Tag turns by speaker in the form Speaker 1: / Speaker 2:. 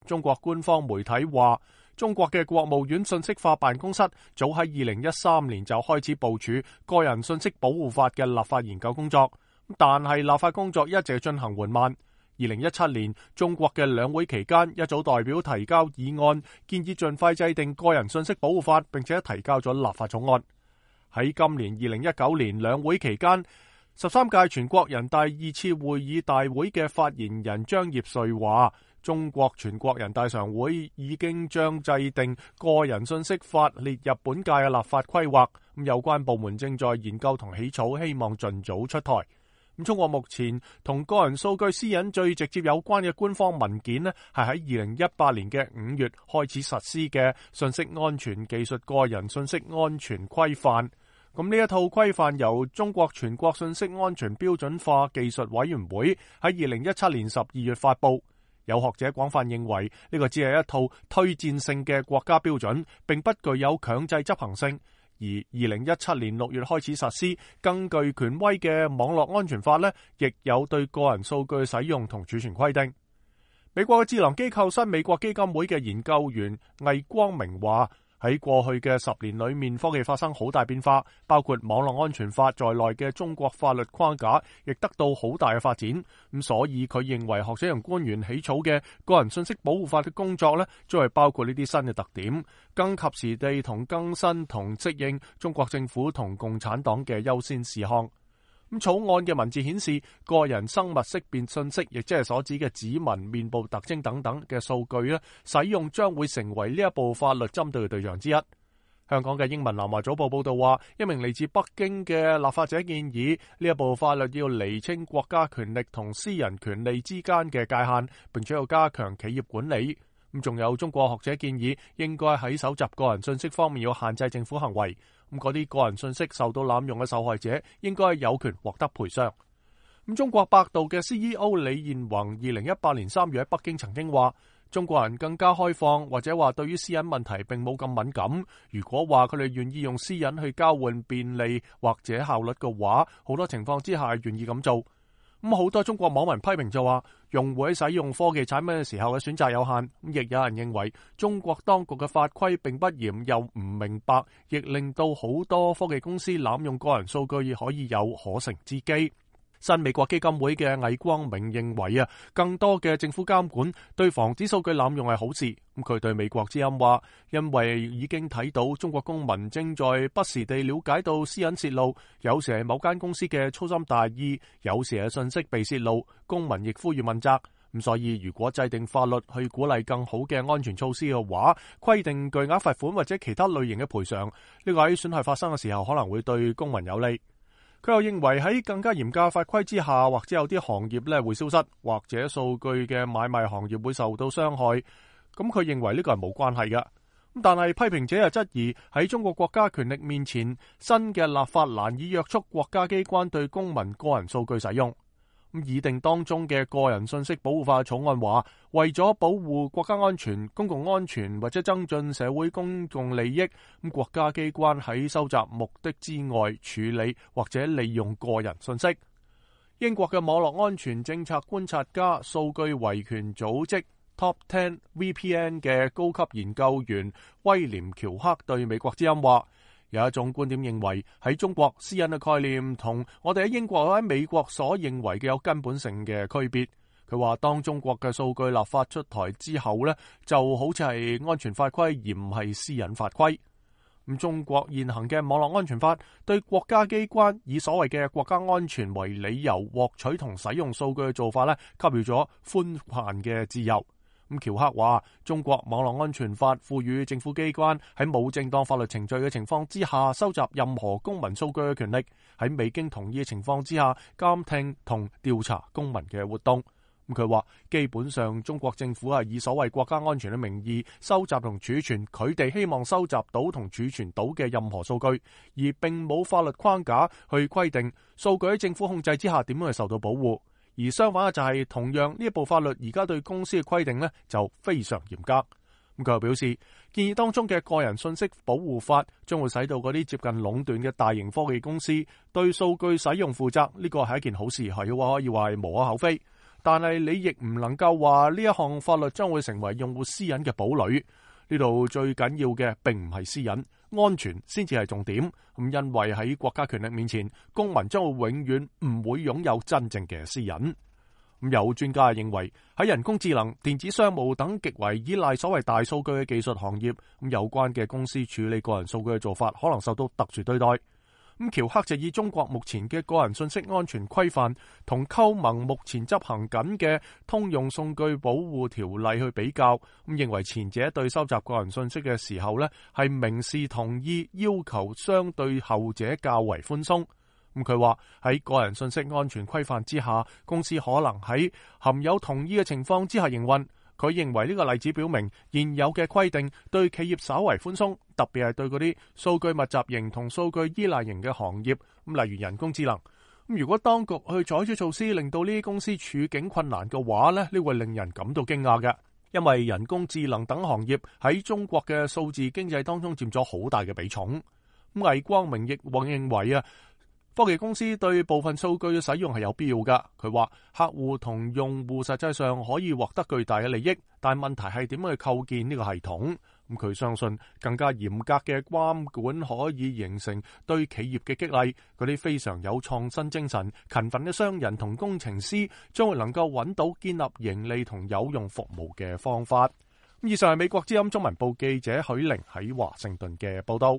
Speaker 1: 中國官方媒體話，中國嘅國務院信息化辦公室早喺2013年就開始部署個人信息保護法嘅立法研究工作，但係立法工作一直進行緩慢。2017年，中國嘅兩會期間，一組代表提交議案，建議盡快制定個人信息保護法，並且提交咗立法草案。喺今年2019年兩會期間，13屆全國人大2次會議大會嘅發言人張業遂話，中國全國人大常會已經將制定個人信息法列入本屆嘅立法規劃，有關部門正在研究同起草，希望盡早出台。中國目前同個人數據私隱最直接有關嘅官方文件呢，係喺2018年嘅5月開始實施嘅信息安全技術個人信息安全規範。咁呢一套規範由中國全國信息安全標準化技術委員會喺2017年12月發布。有學者廣泛認為呢個只係一套推薦性嘅國家標準，並不具有強制執行性。而2017年6月開始實施，更具權威嘅網絡安全法呢，亦有對個人數據使用同儲存規定。美國嘅智囊機構新美國基金會嘅研究員魏光明話，喺過去嘅10年裏面，科技發生好大變化，包括網絡安全法在內嘅中國法律框架亦得到好大嘅發展。咁所以佢認為學者同官員起草嘅個人信息保護法嘅工作呢，將係包括呢啲新嘅特點，更及時地同更新同適應中國政府同共產黨嘅優先事項。咁草案嘅文字顯示，個人生物識別信息，亦即係所指嘅指紋、面部特徵等等嘅數據咧，使用將會成為呢一部法律針對嘅對象之一。香港嘅英文南華早報報道話，一名嚟自北京嘅立法者建議，呢一部法律要釐清國家權力同私人權利之間嘅界限，並且要加強企業管理。咁仲有中國學者建議，應該喺搜集個人信息方面要限制政府行為。咁嗰啲個人信息受到濫用嘅受害者，應該有權獲得賠償。咁中國百度嘅 CEO 李彥宏2018年3月喺北京曾經話，中國人更加開放，或者話對於私隱問題並冇咁敏感。如果話佢哋願意用私隱去交換便利或者效率嘅話，好多情況之下願意咁做。咁好多中國網民批評就話，用戶喺使用科技產品嘅時候嘅選擇有限。亦有人認為中國當局嘅法規並不嚴又唔明白，亦令到好多科技公司濫用個人數據可以有可乘之機。新美國基金會嘅魏光明認為更多嘅政府監管對防止數據濫用係好事。咁佢對美國之音話，因為已經睇到中國公民正在不時地了解到私隱泄露，有時係某間公司嘅粗心大意，有時係信息被泄露，公民亦呼籲問責。咁所以如果制定法律去鼓勵更好嘅安全措施嘅話，規定巨額罰款或者其他類型嘅賠償，呢個喺損害發生嘅時候可能會對公民有利。佢又認為喺更加嚴格法規之下，或者有啲行業咧會消失，或者數據嘅買賣行業會受到傷害。咁佢認為呢個係冇關係嘅。但係批評者又質疑喺中國國家權力面前，新嘅立法難以約束國家機關對公民個人數據使用。擬定當中嘅個人信息保護法草案話，為咗保護國家安全、公共安全或者增進社會公共利益，咁國家機關喺收集目的之外處理或者利用個人信息。英國嘅網絡安全政策觀察家、數據維權組織 Top 10 VPN 嘅高級研究員威廉喬克對美國之音話，有一種觀點認為喺中國私隱嘅概念同我哋喺英國或喺美國所認為嘅有根本性嘅區別。佢話當中國嘅數據立法出台之後呢，就好似係安全法規而唔係私隱法規。咁中國現行嘅網絡安全法對國家機關以所謂嘅國家安全為理由獲取同使用數據嘅做法呢，給予咗寬泛嘅自由。咁喬克話，中國網絡安全法賦予政府機關喺冇正當法律程序嘅情況之下收集任何公民數據嘅權力，喺未經同意嘅情況之下監聽同調查公民嘅活動。咁佢話，基本上中國政府係以所謂國家安全嘅名義收集同儲存佢哋希望收集到同儲存到嘅任何數據，而並冇法律框架去規定數據喺政府控制之下點樣去受到保護。而相反嘅就係，同樣呢一部法律而家對公司嘅規定呢就非常嚴格。咁佢又表示，建議當中嘅個人信息保護法將會使到嗰啲接近壟斷嘅大型科技公司對數據使用負責，呢個係一件好事，係可以話係無可厚非。但係你亦唔能夠話呢一項法律將會成為用戶私隱嘅堡壘。呢度最緊要嘅並唔係私隱，安全先至係重點。因為喺國家權力面前，公民將會永遠唔會擁有真正嘅私隱。有專家認為喺人工智能、電子商務等極為依賴所謂大數據嘅技術行業，有關嘅公司處理個人數據嘅做法可能受到特殊對待。喬克就以中國目前嘅個人信息安全規範同歐盟目前執行緊嘅通用數據保護條例去比較，認為前者對收集個人信息嘅時候係明示同意，要求相對後者較為寬鬆。佢話喺個人信息安全規範之下，公司可能喺含有同意嘅情況之下營運。佢認為呢個例子表明現有嘅規定對企業稍為寬鬆，特別係對嗰啲數據密集型同數據依賴型嘅行業，例如人工智能。如果當局去採取措施令到呢啲公司處境困難嘅話呢會令人感到驚訝嘅，因為人工智能等行業喺中國嘅數字經濟當中佔咗好大嘅比重。魏光明亦認為科技公司對部分數據嘅使用係有必要㗎。佢話客戶同用戶實際上可以獲得巨大嘅利益，但問題係點樣去構建呢個系統。佢相信更加嚴格嘅監管可以形成對企業嘅激勵，嗰啲非常有創新精神、勤奮嘅商人同工程師將會能夠揾到建立盈利同有用服務嘅方法。以上係美國之音中文部記者許玲喺華盛頓嘅報道。